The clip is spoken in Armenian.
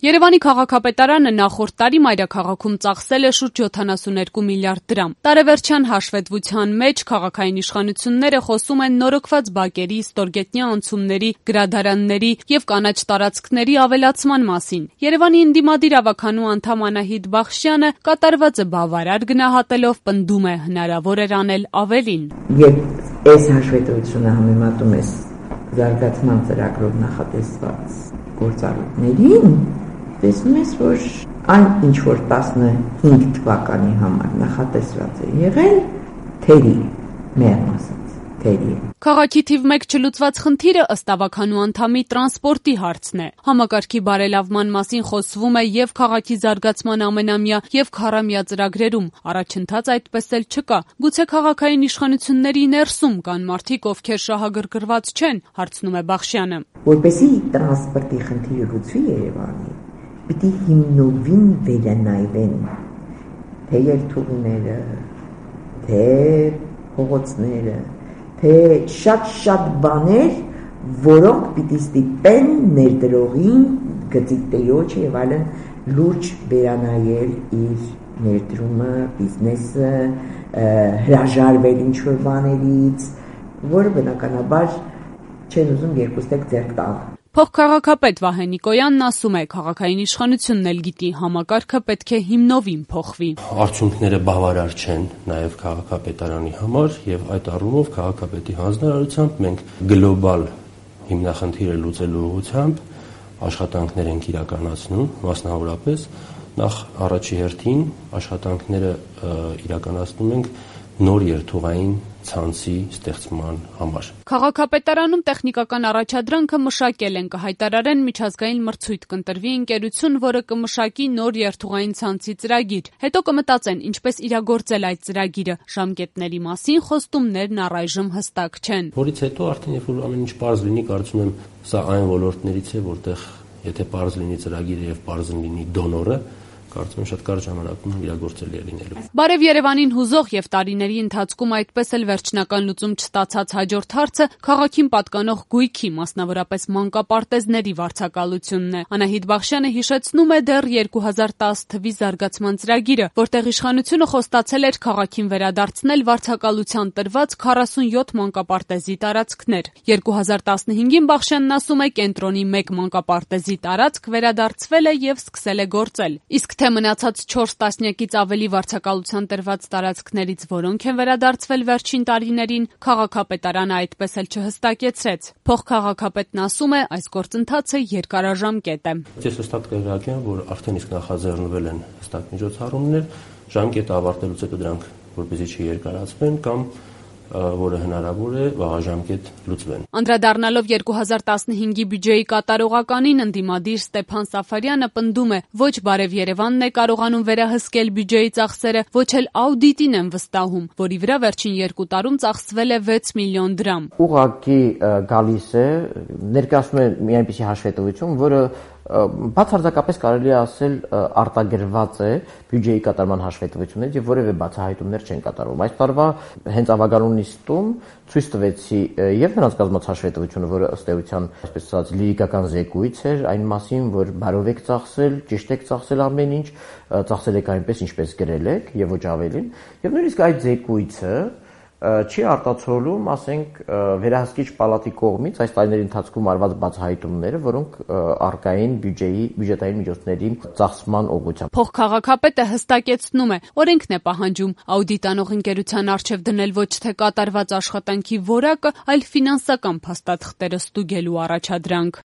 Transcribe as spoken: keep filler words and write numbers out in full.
Երևանի քաղաքապետարանը նախորդ տարի մայրաքաղաքում ծախսել է շուրջ յոթանասունհինգ միլիարդ դրամ։ Տարեվերջյան հաշվետվության մեջ քաղաքային իշխանությունները խոսում են նորոգված բակերի, ստորգետնյա անցումների, գրադարանների եւ կանաչ տարածքների ավելացման մասին։ Երևանի ընդդիմադիր ավականու անդամ Անահիտ Բախշյանը կատարվածը բավարար գնահատելով պնդում է հնարավոր էր անել ավելին։ Երբ այս հաշվետվությունը համեմատում ես զարգացման ծրագրով նախատեսված գործառույթներին, տեսնում ես, որ այն ինչ որ տասնհինգ թվականի համար նախատեսված է եղել, թերի, մեղմ ասած, թերի է։ Քաղաքի թիվ մեկ չլուծված խնդիրը ըստ ավականու անդամի տրանսպորտի հարցն է։ Համակարգի բարելավման մասին խոսվում է եւ քաղաքի զարգացման ամենամյա եւ քառամյա ծրագրերում։ Առաջընթաց այդպես էլ չկա։ Գուցե քաղաքային իշխանությունների ներսում կան մարդիկ, ովքեր շահագրգռված չեն, հարցնում է Բախշյանը։ Որպեսզի տրանսպորտի խնդիրը լուծվի Երևանի, պիտի հիմնովին վերանայվեն թե երթուղիները, թե փողոցները, թե շատ-շատ բաներ, որոնք պիտի ստիպեն ներդրողին, գծիկ եւ այլն լուրջ վերանայել իր ներդրումը, բիզնեսը, հրաժարվել ինչ-որ բաներից, որը բնականաբար չեն ուզում երկուստեք ձեռք տալ։ Փոխքաղաքապետ Վահե Նիկոյանն ասում է, քաղաքային իշխանությունն էլ գիտի, համակարգը պետք է հիմնովին փոխվի։ Արդյունքները բավարար չեն նաև քաղաքապետարանի համար եւ այդ առումով քաղաքապետի հանձնարարությամբ մենք գլոբալ հիմնախնդիրը լուծելու ուղղությամբ աշխատանքներ ենք իրականացնում, մասնավորապես նախ առաջի հերթին աշխատանքները իրականացնում ենք նոր երթուղային ցանցի ստեղծման համար։ Քաղաքապետարանում տեխնիկական առաջադրանքը մշակել են, կհայտարարեն միջազգային մրցույթ կընտրվի ընկերություն, որը կմշակի նոր երթուղային ցանցի ծրագիր։ Հետո կմտածեն ինչպես իրագործել այդ ծրագիրը։ Ժամկետների մասին խոստումներն առայժմ հստակ չեն։ Որից հետո արդեն երբ որ ամեն ինչ պարզ լինի, կարծում եմ սա այն ոլորտներից է, որտեղ եթե պարզ լինի ծրագիրը եւ պարզ լինի դոնորը, կարծում եմ շատ կարճ ժամանակում իրագործելի է լինելու։ Բարև Երևանին հուզող եւ տարիների ընթացքում այդպես էլ վերջնական լուծում չստացած հաջորդ հարցը քաղաքին պատկանող գույքի, մասնավորապես մանկապարտեզների վարձակալությունն է։ Անահիտ Բախշյանը հիշեցնում է դեռ երկու հազար տասը թվականի զարգացման ծրագիրը, որտեղ իշխանությունը խոստացել էր քաղաքին վերադարձնել վարձակալության տրված քառասունյոթ մանկապարտեզի տարածքներ։ երկու հազար տասնհինգին Բախշյանն ասում է կենտրոնի մեկ մանկապարտեզի տարածք վերադարձվել է եւ սկսել է գործել։ Իսկ թե մնացած չորս տասնյակից ավելի վարձակալության տրված տարածքներից որոնք են վերադարձվել վերջին տարիներին, քաղաքապետարանը այդպես էլ չհստակեցրեց։ Փոխքաղաքապետն ասում է, այս գործընթացը երկարաժամկետ է։ Ես հստակ տեղյակ եմ, որ արդեն իսկ նախաձեռնվել են հստակ միջոցառումներ, ժամկետը ավարտելուց հետո դրանք որպեսզի չերկարացվեն կամ որը հնարավոր է վաղաժամկետ լուծվեն։ Անդրադառնալով երկու հազար տասնհինգի բյուջեի կատարողականին ընդդիմադիր Ստեփան Սաֆարյանը պնդում է, ոչ Բարև Երևանն է կարողանում վերահսկել բյուջեի ծախսերը, ոչ էլ աուդիտին են վստահում, որի վրա վերջին երկու տարում ծախսվել է վեց միլիոն դրամ։ Ուղղակի գալիս է, ներկայացնում է մի այնպիսի հաշվետվություն, որը բացարձակապես կարելի է ասել արտագրված է բյուջեի կատարման հաշվետվություններից եւ որևէ բացահայտումներ չեն կատարվում։ Այս տարվա հենց ավագանու նիստում ցույց տվեցի եւ նրանց կազմած հաշվետվությունը, որը ըստ էության, այսպես ասած, լիրիկական զեկույց էր այն մասին, որ բարով եք ծախսել, ճիշտ եք ծախսել ամեն ինչ, ծախսել եք այնպես, ինչպես գրել եք եւ ոչ ավելին։ Եվ նույնիսկ այդ զեկույցը չի արտացոլում, ասենք, վերահսկիչ պալատի կողմից այս տարիների ընթացքում արված բացահայտումները, որոնք արկային բյուջեի բյուջետային միջոցների ծախսման ուղղությամբ։ Փոխքաղաքապետը հստակեցնում է, օրենքն է պահանջում աուդիտանող ընկերության առջև դնել ոչ թե կատարված աշխատանքի որակը, այլ ֆինանսական փաստաթղթերը ստուգելու առաջադրանք։